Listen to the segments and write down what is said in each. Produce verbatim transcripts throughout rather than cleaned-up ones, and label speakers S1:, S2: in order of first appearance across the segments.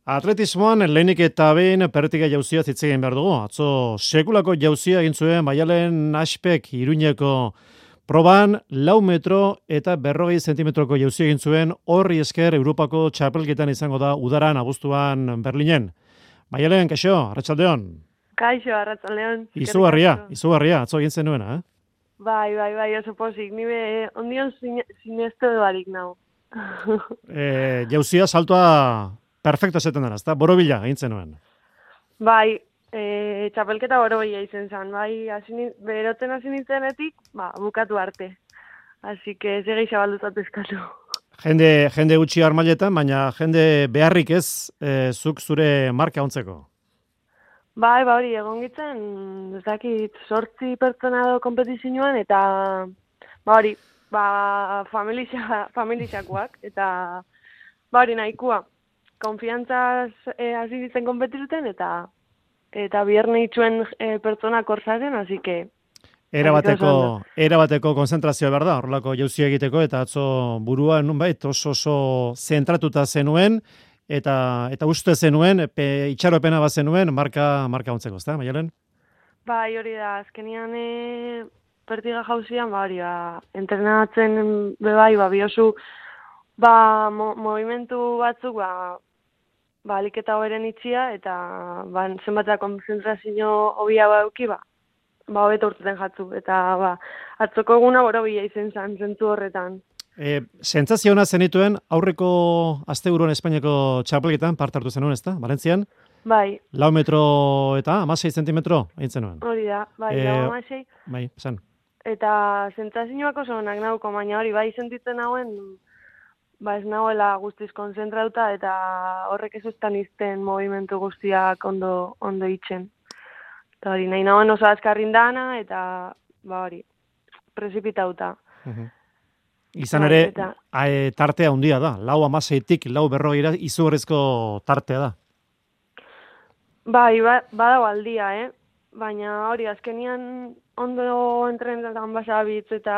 S1: Atletismoan lehenik eta behin pertiga jauzia zitzegin behar dugu. Atzo sekulako jauzia egin zuen Maialen Aspek Iruñeko proban lau metro eta berrogei zentimetroko jauzia egin zuen, horri esker Europako txapelketan izango da udaran abuztuan Berlinen. Maialen, kaixo, arratsaldeon.
S2: Kaixo, arratsaldeon.
S1: Izugarria, izugarria, atzo egin zenuena, eh?
S2: Bai, bai, bai, oso pozik. Ni be, ondion sinestu barik nau.
S1: e, jauzia saltoa perfecto zeten dara, ezta? Borobila egin zenuen.
S2: Bai, e, txapelketa borobila izen zen. Bai, asini, berotzen hasi nintzenetik, ba, bukatu arte. Así que segi xabalduzat eskatu.
S1: Jende, jende gutxi armailetan, baina jende beharrik ez, e, zuk zure marka ontzeko.
S2: Bai, ba hori, egon gitzen, ez dakit, sortzi pertsona do kompetizioan, eta, ba hori, ba, familia, familiakoak, eta, ba hori, nahikoa. Konfiantzaz eh, hasi ditzen konpetizuten, eta, eta bierne itxuen eh, pertsona korsaren, así que...
S1: Era bateko, era bateko konzentrazioa behar da, horrelako jauzia egiteko, eta atzo burua nunbait oso oso zentratuta zenuen, eta eta uste zenuen, pe, itxaropena bat zenuen, marka, marka ontzeko, ezta, Maialen?
S2: Bai, hori da, azkenian e, pertiga jauzian, ba, hori, ba, entrenatzen bebai, ba, biosu, ba, mo, movimentu batzuk, ba, ba, aliketa hoberen itxia, eta, ba, zenbatea konzentrazio hobia bauki, ba, ba, hobeto urteten jatzu, eta, ba, atzoko eguna borobila izen zen, zentzu horretan.
S1: E, sentsazio ona zenituen aurreko asteburuan Espainiako txapelketan parte hartu zenuen, ezta? Valentzian?
S2: Bai.
S1: Lau metro eta hamasei zentimetro egin zenuen.
S2: Hori da, bai,
S1: e,
S2: lau hamasei.
S1: Bai, esan.
S2: Eta sentsazioak oso onak nauko, baina hori bai sentitzen nauen, ba ez nagoela guztiz konzentrauta, eta horrek ez ustan izten movimentu guztiak ondo, ondo itxen. Eta hori, nahi nagoen oso azkarrin dana, eta ba hori, prezipitauta.
S1: Uh-huh. Izan ere, eta... a, tartea handia da, lau amaseitik, lau berrogeira izugarrizko tartea da.
S2: Bai, ba, badago aldia, eh? Baina hori, azkenian ondo entrenetan basabitz, eta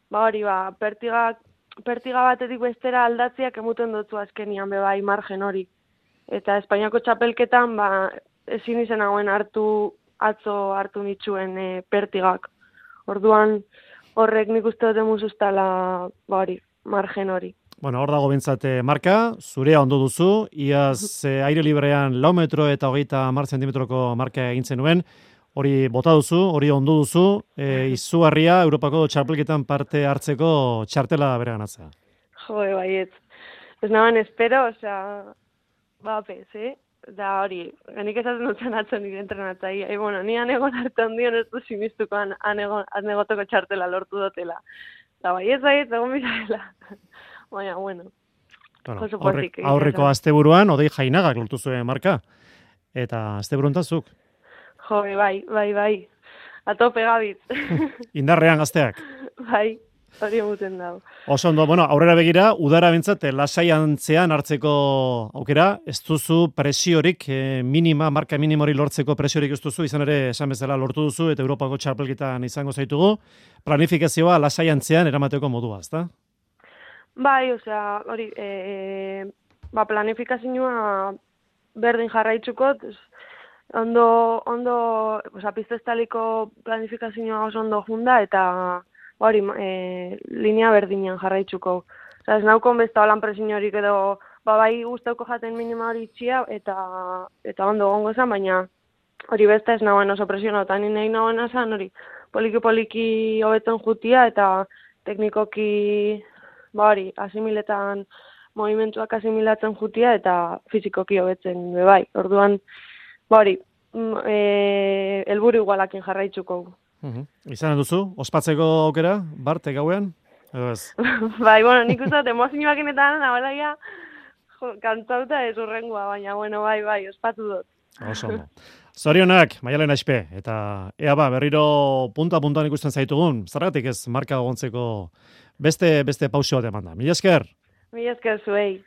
S2: ba hori, ba, pertiga, pertiga batetik bestera aldatziak emuten dutzu azkenian bebai margen hori. Eta Espainiako txapelketan, ba, ezin izen hauen hartu, atzo hartu nitxuen e, pertigak. Orduan, horrek nik uste dut emuzuztala, ba hori, margen hori.
S1: Bueno, hor dago bintzate marka, zurea ondo duzu, iaz eh, aire librean lau metro eta hogeita hamar zentimetroko marka egin zenuen, hori bota duzu, hori ondo duzu, e, izugarria Europako txapelketan parte hartzeko txartela bere ganatzea.
S2: Jo, baiet. Ez nagoen espero, osea, ba, pez, eh? Da hori, genik esaten dutzen atzo nire entrenatzai. E, bueno, ni anegon arte ondion ez du simistuko anegotoko txartela lortu dutela. Da baiet, baiet, egon bizarela. Baina, bueno,
S1: bueno aurrek, aurreko asteburuan, Odei Jainagak lortu zuen marka. Eta asteburun tazuk.
S2: Jo, bai, bai, bai. Atope gabitz.
S1: Indarrean gazteak.
S2: Bai, hori emuten dago.
S1: Oso ondo, bueno, aurrera begira, udara bintzat, lasaiantzean hartzeko aukera, ez duzu presiorik, eh, minima, marka minimori lortzeko presiorik ez duzu, izan ere, esan bezala lortu duzu, eta Europako txapelketan izango zaitugu. Planifikazioa lasaiantzean eramateko modua, ezta?
S2: Bai, osea, hori, e, ba, planifikazioa berdin jarraitzuko, ondo, ondo, osea, piztestaliko planifikazioa oso ondo junda, eta hori, e, linea berdinean jarraitzuko. Osea, ez naukon besta holan presiorik edo, ba, bai guztauko jaten minima hori txia, eta, eta ondo gongo zen, baina hori besta ez nagoen oso presionauta, ni nahi nagoen esan, hori, poliki-poliki hobetzen jutia, eta teknikoki, ba hori, asimiletan, movimentuak asimilatzen jutia eta fizikoki hobetzen bebai. Orduan, ba hori, e, helburu igualakin jarraitzuko.
S1: Uh-huh. Izan duzu, ospatzeko aukera, Bart, gauean? Edo ez?
S2: Bai, bueno, nik uste dut, emozioak inetan, nabela ya, kantzauta ez urrengoa, baina, bueno, bai, bai, ospatu dut.
S1: Oso, zorionak, Maialen Aspe, eta ea ba, berriro punta-puntuan ikusten zaitugun, zergatik ez marka gontzeko beste, beste pausio bat eman da. Mila esker?
S2: Mila esker zuei.